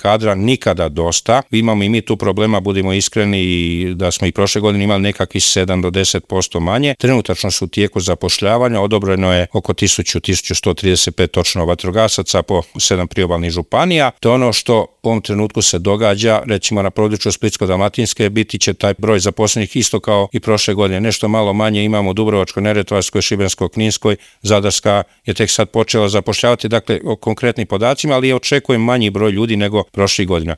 kadra nikada dosta. Imamo i mi tu problema, budimo iskreni, i da smo i prošle godine imali nekakvih 7 do 10% manje. Trenutačno su u tijeku zapošljavanja, odobreno je oko 1135 točno vatrogasaca po 7 priobalnih županija. To je ono što u ovom trenutku se događa, recimo na području Splitsko-dalmatinske biti će taj broj zaposlenih isto kao i prošle godine. Nešto malo manje imamo u Dubrovačko-neretvanskoj, Šibensko-kninskoj, Zadarska je tek sad počela zapošljavati, dakle o konkretnim podacima, ali očekujem manji broj ljudi nego prošlih godina.